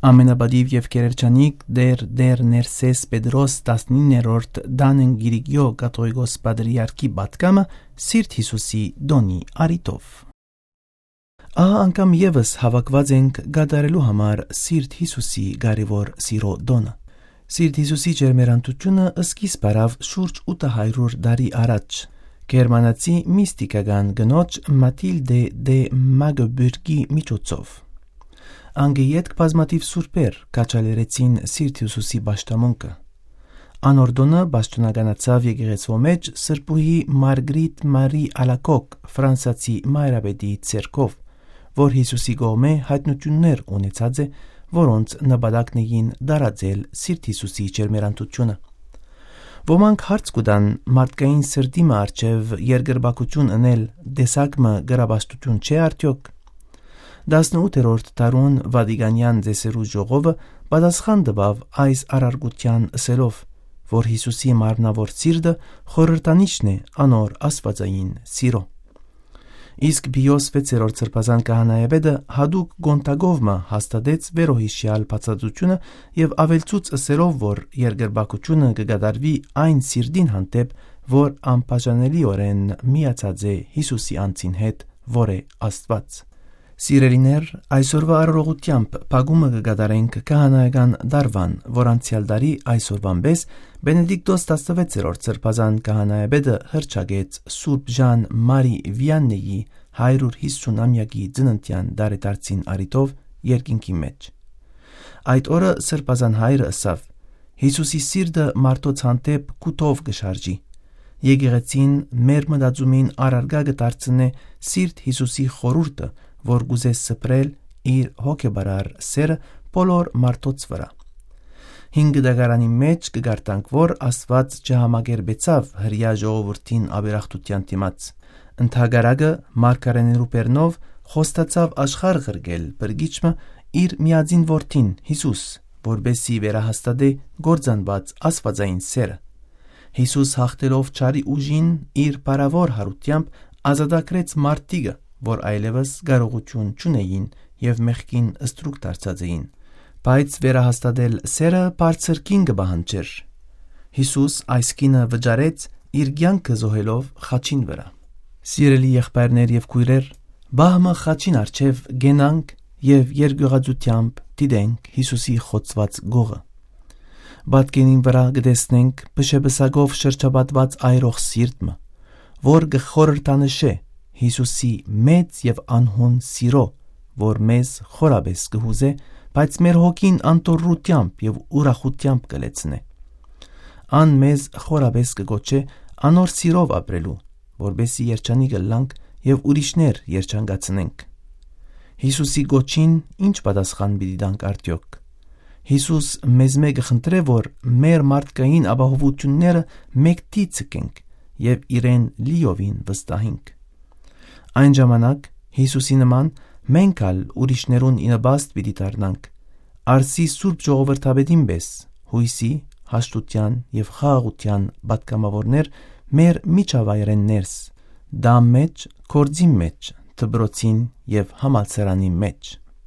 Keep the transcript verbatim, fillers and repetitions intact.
Ամենապատիւ եւ գերերջանիկ Տէր, Տէր Ներսէս Պետրոս տասնիններորդ Տանն Կիրիկիո կաթողիկոս պատրիարքի պատգամը Սիրտ Յիսուսի տօնի առիթով։ Ահա անգամ եւս հաւաքուած ենք կատարելու համար Սիրտ Յիսուսի կարեւոր սիրո տօնը։ Սիրտ Յիսուսի ջերմերանցութիւնը սկիզբ առաւ շուրջ ութը հարիւր տարի առաջ, գերմանացի միստիկական կնոջ Մաթիլդէ դէ Մագբուրգի միջոցով։ Անկէ ետք բազմաթիւ սուրբեր քաջալերեցին Սիրտ Յիսուսի պաշտամունքը։ Անոր տօնը պաշտօնականացաւ եկեղեցւոյ մէջ սրբուհի Մարգրիտ Մարի Ալակոկ, ֆրանսացի մայրապետի ձեռքով, որ Յիսուսի կողմէ յայտնութիւններ ունեցած է, որոնց նպատակն էին տարածել Սիրտ Յիսուսի ջերմերանցութիւնը։ Ոմանք հարց կու տան, մարդկային սրտի մը առջեւ երկրպագութիւն ընել տեսակ մը կրապաշտութիւն չէ՞ արդեօք։ Տասնութերորդ դարուն Վատիկանեան ծեսերու ժողովը պատասխան տուաւ այս առարկութեան, ըսելով, որ Յիսուսի մարմնաւոր սիրտը խորհրդանիշն է անոր աստուածային սիրո։ Իսկ Պիոս վեցերորդ սրբազան քահանայապետը յատուկ կոնտակով մը հաստատեց վերոյիշեալ բացատրութիւնը եւ աւելցուց, ըսելով, որ երկրպագութիւնը կը կատարուի այն սիրտին հանդէպ, որ անբաժանելիօրէն միացած է Յիսուսի անձին հետ, որ է Աստուած։ Սիրելիներ, այսօրուայ արարողութեամբ փակումը կը կատարենք քահանայական տարուան, որ անցեալ տարի այսօրուան պէս Բենեդիկտոս տասնվեցերորդ սրբազան քահանայապետը հռչակեց Սուրբ Ժան Մարի Վիաննեի հարիւր յիսուն ամեակի ծննդեան տարեդարձին առիթով երկինքի մէջ։ Այդ օրը սրբազան հայրը ըսաւ. «Յիսուսի սիրտը մարդոց հանդէպ կութով կը շարժի։ Եկեղեցին մեր մտածումին առարկայ կը դարձնէ Սիրտ Յիսուսի խորհուրդը, որ կ'ուզէ սփռել իր հոգեպարար սէրը բոլոր մարդոց վրայ»։ Հինգ դագարանի մէջ կը կարդանք, որ Աստուած չհամակերպեցաւ հրեայ ժողովուրդին ապերախտութեան դիմաց։ Ընդհակառակը, մարգարէներու բերնով խոստացաւ աշխարհ ղրկել Փրկիչ մը, իր միածին որդին Յիսուս, որպէս զի վերահաստատէ կործանուած աստուածային սէրը։ Յիսուս, յաղթելով չարի ուժին, իր փառաւոր յարութեամբ ազատագրեց մարդիկը, որ այլեւս կարողութիւն չունէին եւ մեղքին ստրուկ դարձած էին։ Բայց վերահաստատել սէրը բարձր գին կը պահանջէր։ Յիսուս այս գինը վճարեց՝ իր կեանքը զոհելով խաչին վրայ։ Սիրելի եղբայրներ եւ քոյրեր, պահ մը խաչին առջեւ կենանք եւ երկիւղածութեամբ դիտենք Յիսուսի խոցուած կողը։ Պատկերին վրայ կը տեսնենք փշեպսակով շրջապատուած այրող սիրտ մը, որ կը խորհրդանշէ Յիսուսի մեծ եւ անհուն սիրո, որ մեզ խորապէս կը յուզէ, բայց մեր հոգին անդորրութեամբ եւ ուրախութեամբ կը լեցնէ։ Ան մեզ խորապէս կը կոչէ անոր սիրով ապրելու, որպէս զի երջանիկ ըլլանք եւ ուրիշներ երջանկացնենք։ Յիսուսի կոչին ի՞նչ պատասխան պիտի տանք արդեօք։ Յիսուս մեզմէ կը խնդրէ, որ մեր մարդկային ապահովութիւնները մէկդի ձգենք եւ իրեն լիովին վստահենք։ Այն ժամանակ, Յիսուսի նման, մենք ալ ուրիշներուն ի նպաստ պիտի դառնանք, արսի Սուրբ Ժողովրդապետին պէս, յոյսի, հաշտութեան եւ խաղաղութեան պատգամաւորներ մեր միջավայրէն ներս, տան մէջ, գործին մէջ, դպրոցին եւ համալսարանին մէջ։